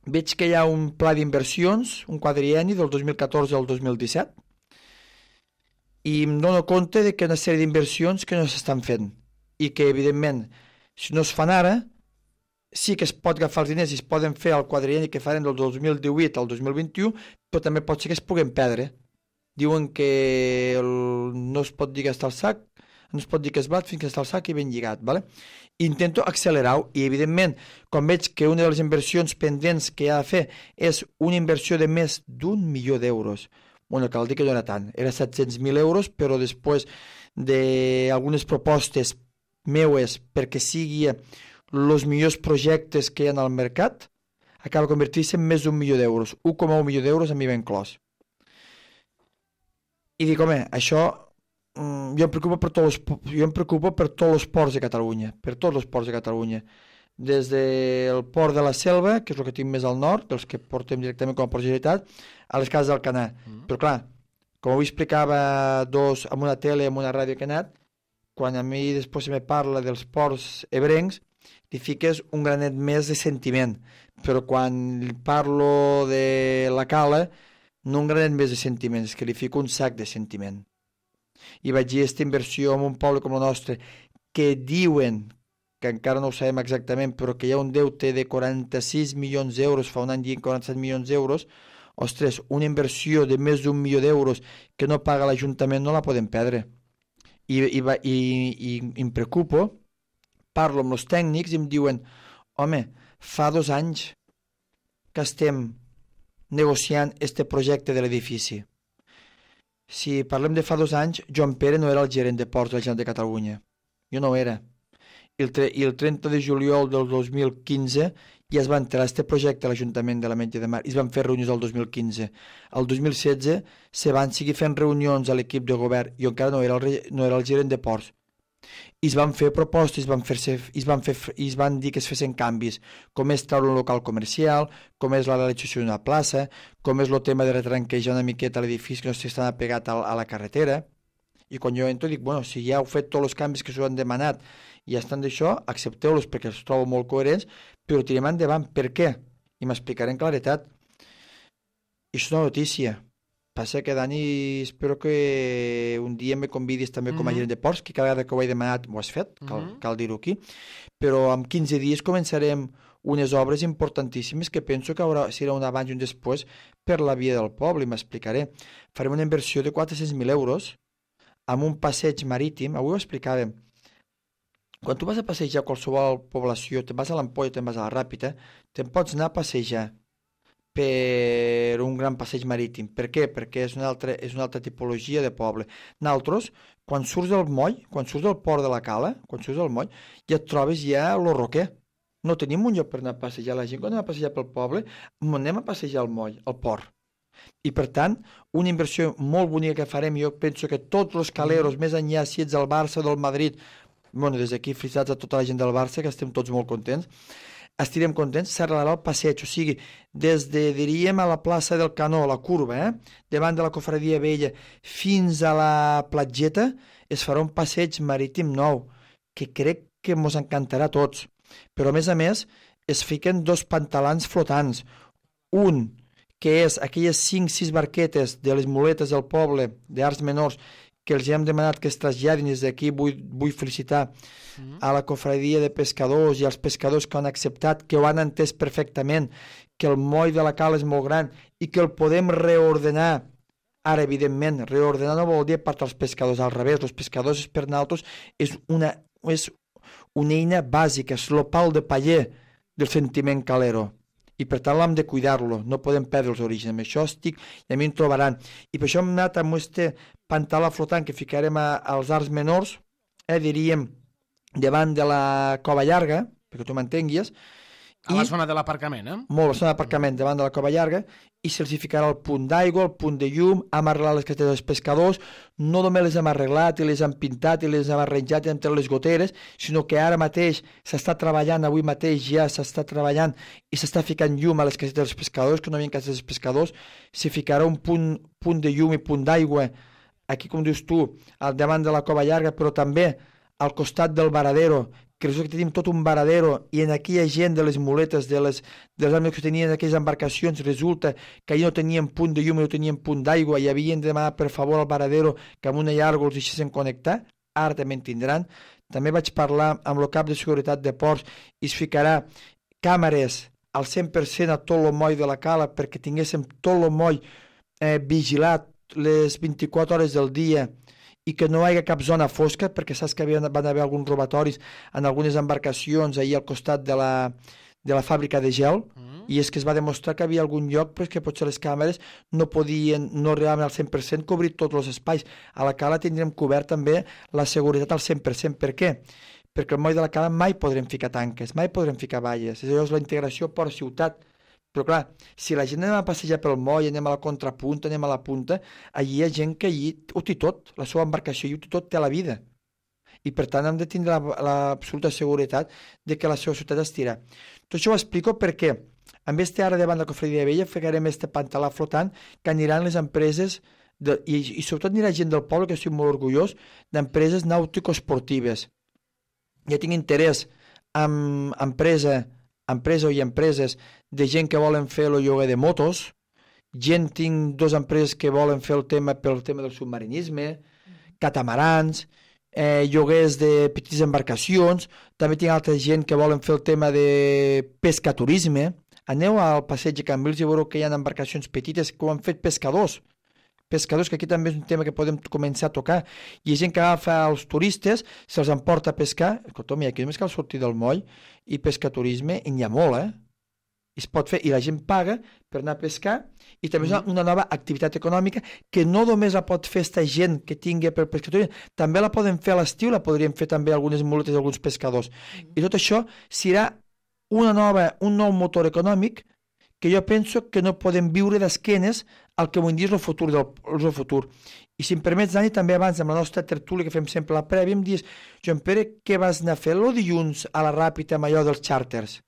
veig que hi ha un pla d'inversions, un quadrienni del 2014 al 2017, i em dono compte de que hi ha una sèrie d'inversions que no s'estan fent i que, evidentment, si no es fan ara, sí que es pot agafar els diners i es poden fer el quadrienni que farem del 2018 al 2021, però també pot ser que es puguen perdre. Diuen que no es pot dir que està al sac, no es pot dir que es bat fins que està al sac i ben lligat, ¿vale? Intento accelerar-ho i, evidentment, quan veig que una de les inversions pendents que ha de fer és una inversió de més d'1 milió d'euros, cal dir que no era tant, era 700.000 euros, però després d'algunes propostes meues perquè sigui els millors projectes que hi ha al mercat, acaba convertint-se en més d'1 milió d'euros, 1,1 milió d'euros a mi ben clos. I dic, home, això jo em preocupo per tots els ports de Catalunya, per tots els ports de Catalunya, des del port de la Selva, que és el que tinc més al nord, dels que portem directament com a port de Generalitat, a les cases d'Alcanar. Però clar, com ho explicava amb una tele, amb una ràdio que he anat, quan a mi després se me parla dels ports ebrencs, li fiques un granet més de sentiment, però quan parlo de la Cala, no un granet més de sentiment, és que li fico un sac de sentiment. i vaig dir aquesta inversió en un poble com el nostre, que diuen, que encara no ho sabem exactament, però que hi ha un deute de 46 milions d'euros, fa un any dient 47 milions d'euros, ostres, una inversió de més d'1 milió d'euros que no paga l'Ajuntament no la podem perdre. I em preocupo, parlo amb els tècnics i em diuen, home, fa 2 anys que estem negociant este projecte de l'edifici. Si parlem de fa 2 anys, Joan Pere no era el gerent de ports de la Generalitat de Catalunya. Jo no ho era. I el 30 de juliol del 2015 ja es va entrar este projecte a l'Ajuntament de l'Ametlla de Mar i es van fer reunions el 2015. El 2016 se van seguir fent reunions a l'equip de govern. Jo encara no era el gerent de ports. I es van fer propostes, i es van dir que es fessin canvis, com és treure un local comercial, com és la realització d'una plaça, com és el tema de retranquejar una miqueta l'edifici que no s'està apegat a la carretera. I quan jo entro dic, bueno, si ja heu fet tots els canvis que s'ho han demanat i ja estan d'això, accepteu-los perquè els trobo molt coherents, però tirem endavant. Per què? I m'explicaré en claretat. I és una notícia. Passa que, Dani, espero que un dia me convidis també com a gerent de ports, que cada vegada que ho he demanat ho has fet, cal dir-ho aquí, però en 15 dies començarem unes obres importantíssimes que penso que serà un abans i un després per la via del poble, i m'explicaré. Farem una inversió de 400.000 euros amb un passeig marítim. Avui ho explicàvem. Quan tu vas a passejar a qualsevol població, te'n vas a l'Ampolla, te'n vas a la Ràpita, te'n pots anar a passejar per un gran passeig marítim. Per què? Perquè és una altra tipologia de poble. Nosaltres, quan surts del moll, quan surts del port de la Cala, quan surts del moll, ja et trobes ja lo roquer. No tenim un lloc per anar a passejar. La gent quan anem a passejar pel poble, anem a passejar al moll, al port. I per tant, una inversió molt bonica que farem, jo penso que tots els caleros, més enllà si ets del Barça o del Madrid, bueno, des d'aquí felicitats a tota la gent del Barça, que estem tots molt contents, estirem contents, s'arreglarà el passeig, o sigui, des de, diríem, a la plaça del Canó, la curva, davant de la Cofradia Vella, fins a la platgeta, es farà un passeig marítim nou, que crec que ens encantarà a tots. Però, a més, es fiquen 2 pantalans flotants. Un, que és aquelles 5-6 barquetes de les muletes del poble, d'Arts Menors, que els hem demanat que es traslladin. Des d'aquí vull felicitar a la cofradia de pescadors i als pescadors que han acceptat, que ho han entès perfectament, que el moll de la Cala és molt gran i que el podem reordenar. Ara, evidentment, reordenar no vol dir per als pescadors, al revés, els pescadors per nosaltres és una eina bàsica, és el pal de paller del sentiment calero. I per tant l'hem de cuidar-lo, no podem perdre els orígens. Amb això estic i a mi em trobaran. I per això hem anat amb este pantalà flotant que ficarem als Arts Menors, diríem, davant de la Cova Llarga, perquè tu m'entenguis. A la zona de l'aparcament, Molt, la zona d'aparcament, davant de la Cova Llarga, i se'ls ficarà el punt d'aigua, el punt de llum, hem arreglat les casetes dels pescadors, no només les hem arreglat i les hem pintat i les hem arranjat i hem tret les goteres, sinó que ara mateix s'està treballant, avui mateix ja s'està treballant i s'està ficant llum a les casetes dels pescadors, que no hi havia casetes dels pescadors, s'hi ficarà un punt de llum i punt d'aigua, aquí com dius tu, al davant de la Cova Llarga, però també al costat del varadero, que resulta que tenim tot un varadero i en aquella gent de les muletes, dels amics que tenien aquelles embarcacions, resulta que allà no tenien punt de llum i no tenien punt d'aigua i havien de demanar per favor al varadero que amb una llarga els deixessin connectar. Ara també en tindran. També vaig parlar amb el cap de seguretat de ports i es ficarà càmeres al 100% a tot el moll de la Cala perquè tinguéssim tot el moll vigilat les 24 hores del dia i que no hi hagi cap zona fosca, perquè saps que van haver alguns robatoris en algunes embarcacions ahir al costat de la fàbrica de gel, i és que es va demostrar que havia algun lloc però que potser les càmeres no arribaven al 100% cobrir tots els espais. A la Cala tindrem cobert també la seguretat al 100%. Per què? Perquè al moll de la Cala mai podrem ficar tanques, mai podrem ficar valles. És la integració per ciutat. Però clar, si la gent anem a passejar pel moll, anem a la contrapunta, anem a la punta, allí hi ha gent que allí ho té tot, la seva embarcació i ho té tot, té la vida. I per tant hem de tindre l'absoluta seguretat de que la seva ciutat estirà. Tot això ho explico perquè amb este ara davant de la Cofradia Vella ficarem este pantalà flotant que aniran les empreses i sobretot anirà gent del poble, que estic molt orgullós, d'empreses nàutico-esportives. Ja tinc interès en empresa i empreses de gent que volen fer el lloguer de motos, tinc 2 empreses que volen fer pel tema del submarinisme, catamarans, lloguers de petites embarcacions, també tinc altra gent que volen fer el tema de pescaturisme. Aneu al passeig de Cambrils i veureu que hi ha embarcacions petites que ho han fet pescadors, que aquí també és un tema que podem començar a tocar. Hi ha gent que agafa els turistes, se'ls emporta a pescar. Escolta, aquí només cal sortir del moll i pescaturisme, i n'hi ha molt, es pot fer, i la gent paga per anar a pescar, i també és una nova activitat econòmica que no només la pot fer esta gent que tingui per pescaturisme, també la poden fer a l'estiu, la podrien fer també algunes muletes d'alguns pescadors. I tot això serà un nou motor econòmic que jo penso que no podem viure d'esquenes al que vull dir és el futur. I si em permets, Dani, també abans amb la nostra tertúlia que fem sempre la prèvia, em dius, Joan Pere, què vas anar a fer el dilluns a la Ràpita amb allò dels xàrters?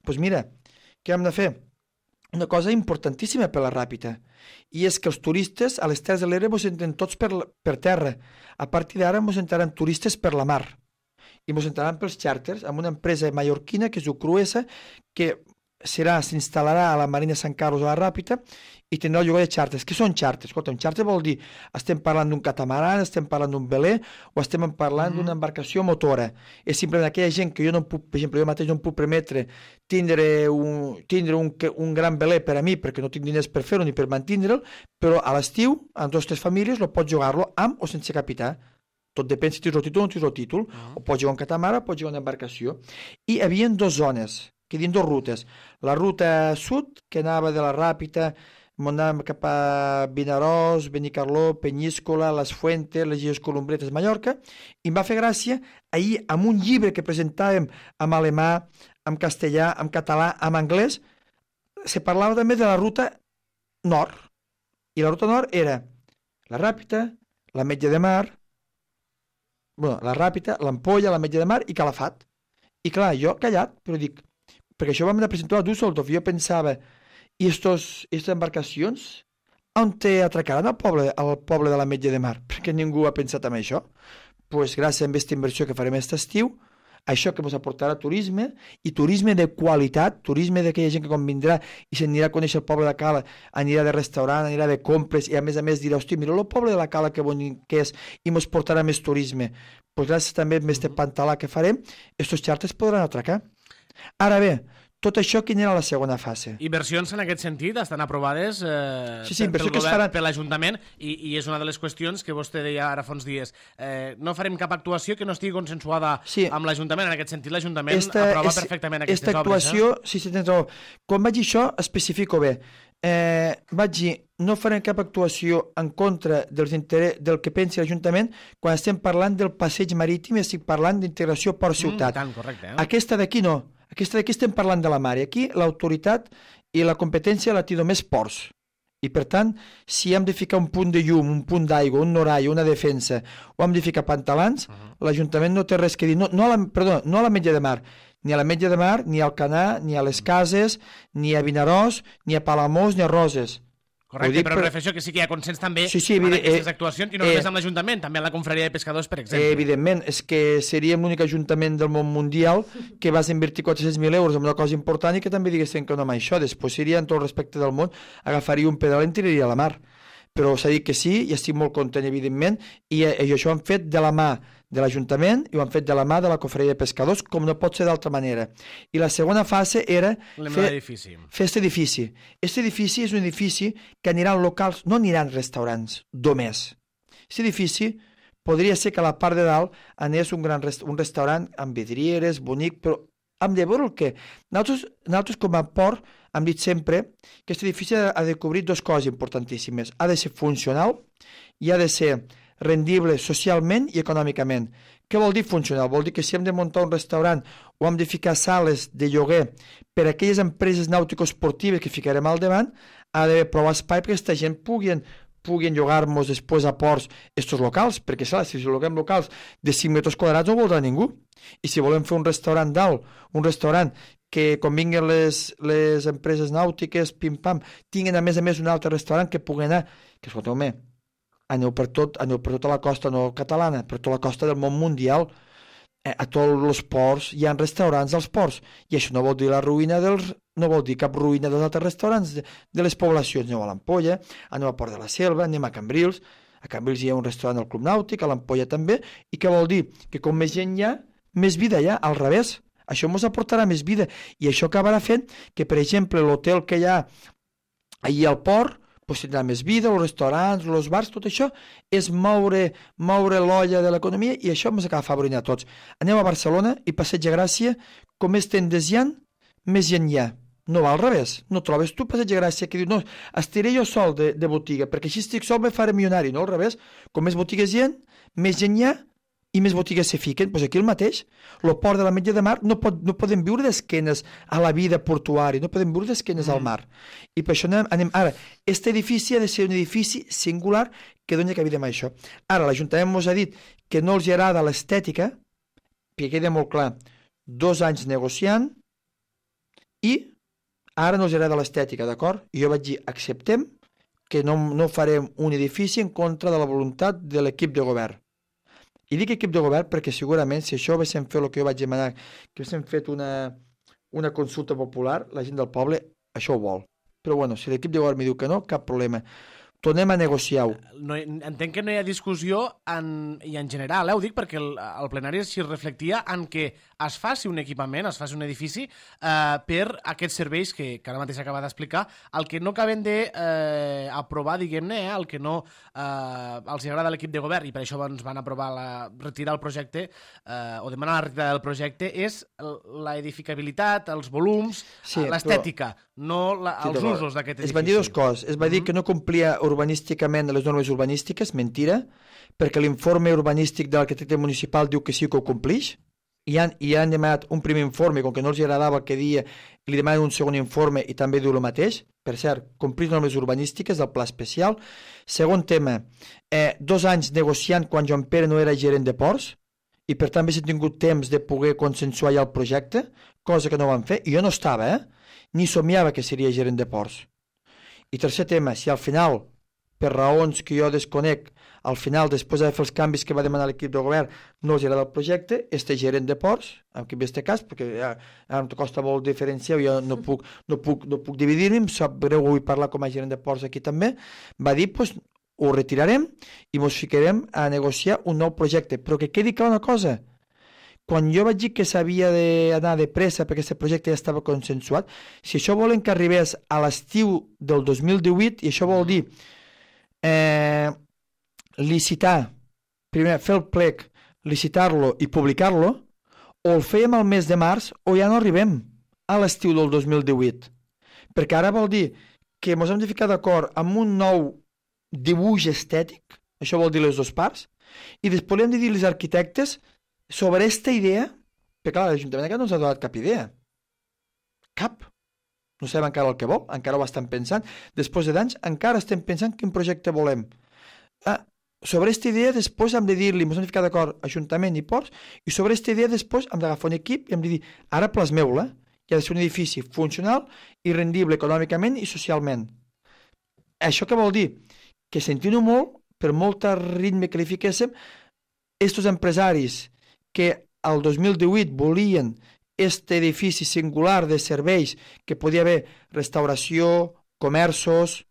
Doncs mira, què hem de fer? Una cosa importantíssima per la Ràpita, i és que els turistes a les Terres de l'Ebre ens entren tots per terra. A partir d'ara ens entraran turistes per la mar, i ens entraran pels xàrters amb una empresa mallorquina que es diu Cruesa, que s'instal·larà a la Marina Sant Carlos a la Ràpita i tindrà el lloguer de xàrters. Què són xàrters? Escolta, un xàrter vol dir, estem parlant d'un catamaran, estem parlant d'un veler o estem parlant d'una embarcació motora. És simplement aquella gent que jo no puc, per exemple, jo mateix no em puc permetre tindre un gran veler per a mi perquè no tinc diners per fer-ho ni per mantindre'l, però a l'estiu, amb 2 o 3 famílies, pots jugar-lo amb o sense capità. Tot depèn si tens el títol o no tens el títol. O pots jugar un catamarà o pots jugar una embarcació. I hi havia 2 zones, que dins 2 rutes. La ruta sud, que anava de la Ràpita, anàvem cap a Vinaròs, Benicarló, Penyíscola, Les Fuentes, les Illes Columbretes, Mallorca, i em va fer gràcia ahir amb un llibre que presentàvem en alemà, en castellà, en català, en anglès, se parlava també de la ruta nord. I la ruta nord era la Ràpita, l'Ametlla de Mar, la Ràpita, l'Ampolla, l'Ametlla de Mar i Calafat. I clar, jo callat, però dic, perquè això vam anar a presentar a Düsseldorf, i jo pensava, i aquestes embarcacions on atracaran al poble de l'Ametlla de Mar? Perquè ningú ha pensat en això. Doncs gràcies a aquesta inversió que farem aquest estiu, això que ens aportarà turisme, i turisme de qualitat, turisme d'aquella gent que quan vindrà i s'anirà a conèixer el poble de Cala, anirà de restaurant, anirà de compres, i a més dirà, hosti, mira el poble de la Cala que bonic que és, i ens portarà més turisme. Doncs gràcies també a aquest pantalà que farem, aquests xàrters podran atracar. Ara bé, tot això quina era la segona fase? Inversions en aquest sentit estan aprovades pel govern, per l'Ajuntament, i és una de les qüestions que vostè deia ara fa uns dies. No farem cap actuació que no estigui consensuada amb l'Ajuntament. En aquest sentit, l'Ajuntament aprova perfectament aquestes obres. Actuació, sí, tens raó. Quan vaig dir això, especifico bé. Vaig dir, no farem cap actuació en contra del que pensi l'Ajuntament quan estem parlant del passeig marítim i estic parlant d'integració port-ciutat. Aquesta d'aquí no. Aquesta d'aquí estem parlant de la mar, i aquí l'autoritat i la competència la té només ports. I per tant, si hem de ficar un punt de llum, un punt d'aigua, un norall, una defensa, o hem de ficar pantalans, l'Ajuntament no té res que dir. No a l'Ametlla de Mar, ni a l'Ametlla de Mar, ni al Canà, ni a les Cases, ni a Vinaròs, ni a Palamós, ni a Roses. Correcte, però me refereixo que sí que hi ha consens també en aquestes actuacions, i no només amb l'Ajuntament, també amb la Confraria de Pescadors, per exemple. Evidentment, és que seríem l'únic ajuntament del món mundial que vas invertir 400.000 euros en una cosa important i que també diguessin que no amb això. Després seria, en tot el respecte del món, agafaria un pedal i en tiraria a la mar. Però s'ha dit que sí, i estic molt content, evidentment, i això ho han fet de la mà de l'Ajuntament i ho han fet de la mà de la Confraria de Pescadors, com no pot ser d'altra manera. I la segona fase era fer aquest edifici. Aquest edifici és un edifici que aniran locals, no aniran restaurants, només. Aquest edifici podria ser que a la part de dalt anés un restaurant amb vidrieres, bonic, però hem de veure el que... Nosaltres com a port hem dit sempre que aquest edifici ha de cobrir 2 coses importantíssimes. Ha de ser funcional i ha de ser rendible socialment i econòmicament. Què vol dir funcional? Vol dir que si hem de muntar un restaurant o hem de ficar sales de lloguer per a aquelles empreses nàutico-esportives que ficarem al davant, ha d'haver prou espai perquè aquesta gent puguin llogar-nos després a ports estos locals, perquè si lloguem locals de 5 metres quadrats no ho voldrà ningú. I si volem fer un restaurant dalt, un restaurant que quan vinguin les empreses nàutiques, pim-pam, tinguin a més un altre restaurant que pugui anar, que escolteu-me, aneu per tota la costa no catalana, per tota la costa del món mundial, a tots els ports hi ha restaurants als ports, i això no vol dir no vol dir cap ruïna dels altres restaurants de les poblacions. Aneu a l'Ampolla, aneu a Port de la Selva, anem a Cambrils, A Cambrils hi ha un restaurant al Club Nàutic, a l'Ampolla també, i què vol dir? Que com més gent hi ha, més vida hi ha, al revés. Això ens aportarà més vida, i això acabarà fent que, per exemple, l'hotel que hi ha allà al port, pues tindrà més vida, els restaurants, els bars, tot això és moure l'olla de l'economia, i això ens acaba favorint a tots. Anem a Barcelona i Passeig de Gràcia, com més tendes hi ha, més gent hi ha. No va al revés, no trobes tu Passeig de Gràcia que diu, no, estiré jo sol de botiga, perquè així estic sol me faré milionari, no al revés, com més botigues hi ha, més gent hi ha i més botigues se fiquen. Doncs aquí el mateix, el port de l'Ametlla de Mar no podem viure d'esquenes a la vida portuària, no podem viure d'esquenes al mar. I per això anem ara, aquest edifici ha de ser un edifici singular que doni cabida a això. Ara, l'Ajuntament ens ha dit que no els agrada l'estètica, perquè queda molt clar, 2 anys negociant, i ara no els agrada l'estètica, d'acord? I jo vaig dir, acceptem que no farem un edifici en contra de la voluntat de l'equip de govern. I dic equip de govern perquè segurament si això haguéssim fet el que jo vaig demanar, que haguéssim fet una consulta popular, la gent del poble això ho vol. Però bueno, si l'equip de govern mi diu que no, cap problema. Tornem a negociar-ho. Entenc que no hi ha discussió i en general, ho dic perquè el plenari s'hi reflectia en que es faci un equipament, es faci un edifici per aquests serveis que ara mateix acaba d'explicar, el que no acaben d'aprovar, diguem-ne, el que no els agrada a l'equip de govern, i per això ens van aprovar retirar el projecte, o demanar la retirada del projecte, és l'edificabilitat, els volums, l'estètica, no els usos d'aquest edifici. Es van dir dues coses. Es va dir que no complia urbanísticament les normes urbanístiques, mentira, perquè l'informe urbanístic de l'arquitecte municipal diu que sí que ho complix, i han demanat un primer informe, com que no els agradava el que dia, li demanen un segon informe i també diu el mateix. Per cert, complir normes urbanístiques del pla especial. Segon tema, 2 anys negociant quan Joan Pere no era gerent de ports, i per tant haguéssim tingut temps de poder consensuar ja el projecte, cosa que no van fer, i jo no estava, ni somiava que seria gerent de ports. I tercer tema, si al final, per raons que jo desconec, al final, després de fer els canvis que va demanar l'equip de govern, no els agrada el projecte, este gerent de ports, en aquest cas, perquè ja em costa molt diferenciar, jo no puc dividir-me, em sap greu avui parlar com a gerent de ports aquí també, va dir, doncs, ho retirarem i ens ficarem a negociar un nou projecte. Però que quedi clar una cosa, quan jo vaig dir que s'havia d'anar de pressa perquè aquest projecte ja estava consensuat, si això volen que arribés a l'estiu del 2018, i això vol dir licitar, primer fer el plec, licitar-lo i publicar-lo, o el fèiem al mes de març o ja no arribem a l'estiu del 2018. Perquè ara vol dir que ens hem de ficar d'acord amb un nou dibuix estètic, això vol dir les dues parts, i després hem de dir als arquitectes sobre aquesta idea, perquè clar, l'Ajuntament encara no ens ha donat cap idea. Cap. No sabem encara el que vol, encara ho estan pensant. Després d'anys encara estem pensant quin projecte volem. Sobre aquesta idea després hem de dir-li, ens hem de ficar d'acord Ajuntament i Ports, i sobre aquesta idea després hem d'agafar un equip i hem de dir, ara plasmeu-la, que ha de ser un edifici funcional i rendible econòmicament i socialment. Això què vol dir? Que sentint-ho molt, per molt ritme que li fiquéssim, estos empresaris que al 2018 volien aquest edifici singular de serveis que podia haver restauració, comerços,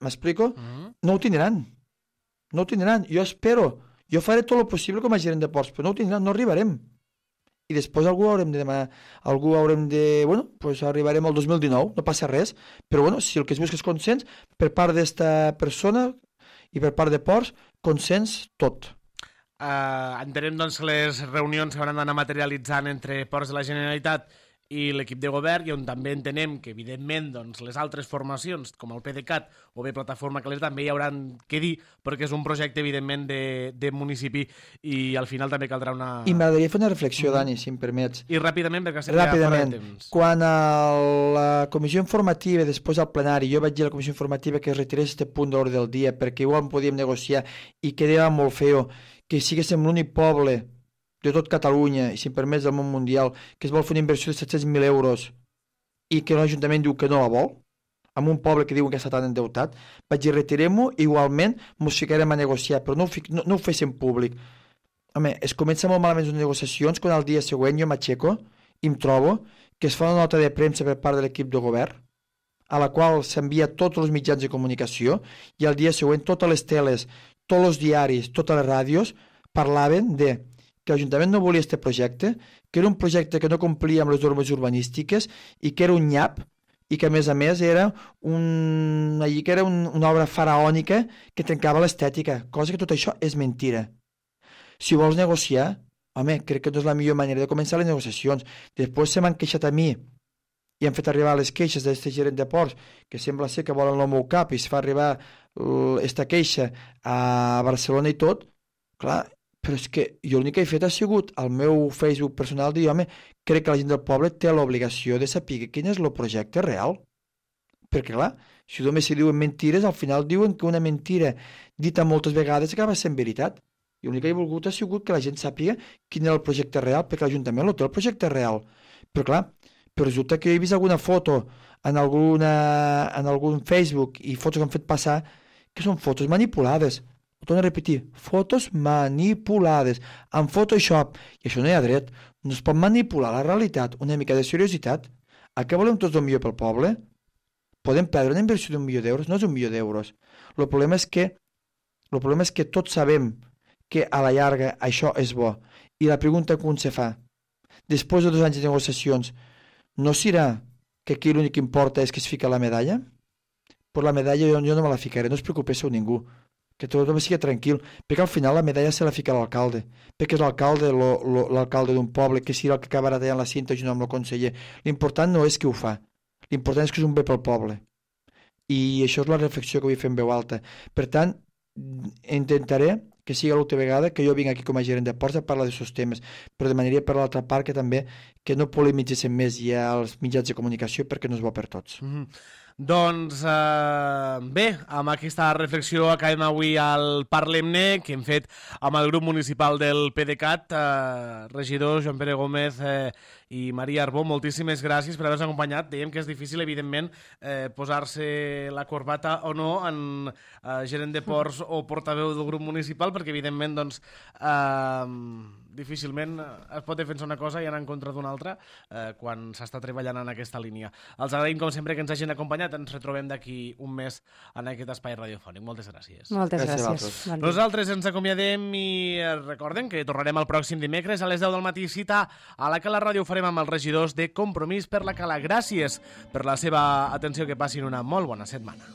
m'explico? No ho tindran. No ho tindran. Jo espero, jo faré tot el possible com a gerent de ports, però no ho tindran, no arribarem. I després algú haurem de demanar, bueno, pues arribarem al 2019, no passa res, però bueno, si el que es busca és consens, per part d'esta persona i per part de ports, consens tot. Entenem doncs que les reunions s'hauran d'anar materialitzant entre Ports de la Generalitat i l'equip de govern, i on també entenem que evidentment doncs, les altres formacions com el PDeCAT o bé Plataforma Calés també hi hauran que dir, perquè és un projecte evidentment de municipi i al final també caldrà una... I m'agradaria fer una reflexió, Dani, si em permets. I ràpidament, perquè estem ja fora de temps. Quan a la comissió informativa, després al plenari, jo vaig dir a la comissió informativa que es retirés aquest punt d'ordre del dia perquè igual podíem negociar i quedava molt feo que siguéssim l'únic poble de tot Catalunya, i si em permets del món mundial, que es vol fer una inversió de 700.000 euros i que l'Ajuntament diu que no la vol, amb un poble que diuen que està tan endeutat, vaig dir, retirem-ho, igualment ens ficarem a negociar, però no ho féssim públic. Home, es comença molt malament les negociacions quan al dia següent jo m'aixeco i em trobo que es fa una nota de premsa per part de l'equip de govern, a la qual s'envia tots els mitjans de comunicació, i al dia següent totes les teles, tots els diaris, totes les ràdios, parlaven de que l'Ajuntament no volia aquest projecte, que era un projecte que no complia amb les normes urbanístiques i que era un nyap i que, a més, era una obra faraònica que trencava l'estètica, cosa que tot això és mentira. Si vols negociar, home, crec que no és la millor manera de començar les negociacions. Després se m'han queixat a mi i han fet arribar les queixes d'aquest gerent de ports, que sembla ser que volen el meu cap i es fa arribar aquesta queixa a Barcelona i tot. Clar, però és que jo l'únic que he fet ha sigut al meu Facebook personal dir, home, crec que la gent del poble té l'obligació de saber quin és el projecte real. Perquè, clar, si només se diuen mentires, al final diuen que una mentira dita moltes vegades acaba sent veritat. I l'únic que he volgut ha sigut que la gent sàpiga quin era el projecte real, perquè l'Ajuntament no té el projecte real. Però, clar, però resulta que he vist alguna foto en algun Facebook i fotos que han fet passar que són fotos manipulades. Ho torno a repetir, fotos manipulades, amb Photoshop, i això no hi ha dret. No es pot manipular la realitat, una mica de seriositat. A què volem tots el millor pel poble? Podem perdre una inversió d'1 milió d'euros? No és 1 milió d'euros. El problema és que tots sabem que a la llarga això és bo. I la pregunta que un se fa, després de 2 anys de negociacions, no serà que aquí l'únic que importa és que es fica la medalla? Però la medalla jo no me la ficaré, no us preocupéssiu ningú, que tothom sigui tranquil, perquè al final la medalla se la fica l'alcalde, perquè és l'alcalde d'un poble, que serà el que acabarà tallant la cinta junt amb el conseller. L'important no és qui ho fa, l'important és que és un bé pel poble. I això és la reflexió que vull fer en veu alta. Per tant, intentaré que sigui l'última vegada que jo vinc aquí com a gerent de ports a parlar d'aquests temes, però demanaria per l'altra part que també que no polemitzessin més ja els mitjans de comunicació perquè no és bo per tots. Doncs bé, amb aquesta reflexió acabem avui al Parlem-ne que hem fet amb el grup municipal del PDeCAT. Regidors Joan Pere Gómez i Maria Arbó, moltíssimes gràcies per haver-nos acompanyat. Dèiem que és difícil, evidentment, posar-se la corbata o no en gerent de ports o portaveu del grup municipal, perquè evidentment doncs, difícilment es pot defensar una cosa i anar en contra d'una altra quan s'està treballant en aquesta línia. Els agraïm, com sempre, que ens hagin acompanyat. Ens retrobem d'aquí un mes en aquest espai radiofònic. Moltes gràcies. Moltes gràcies. Nosaltres ens acomiadem i recordem que tornarem el pròxim dimecres a les 10 del matí. Cita a la Cala Ràdio farem amb els regidors de Compromís per la Cala. Gràcies per la seva atenció, que passin una molt bona setmana.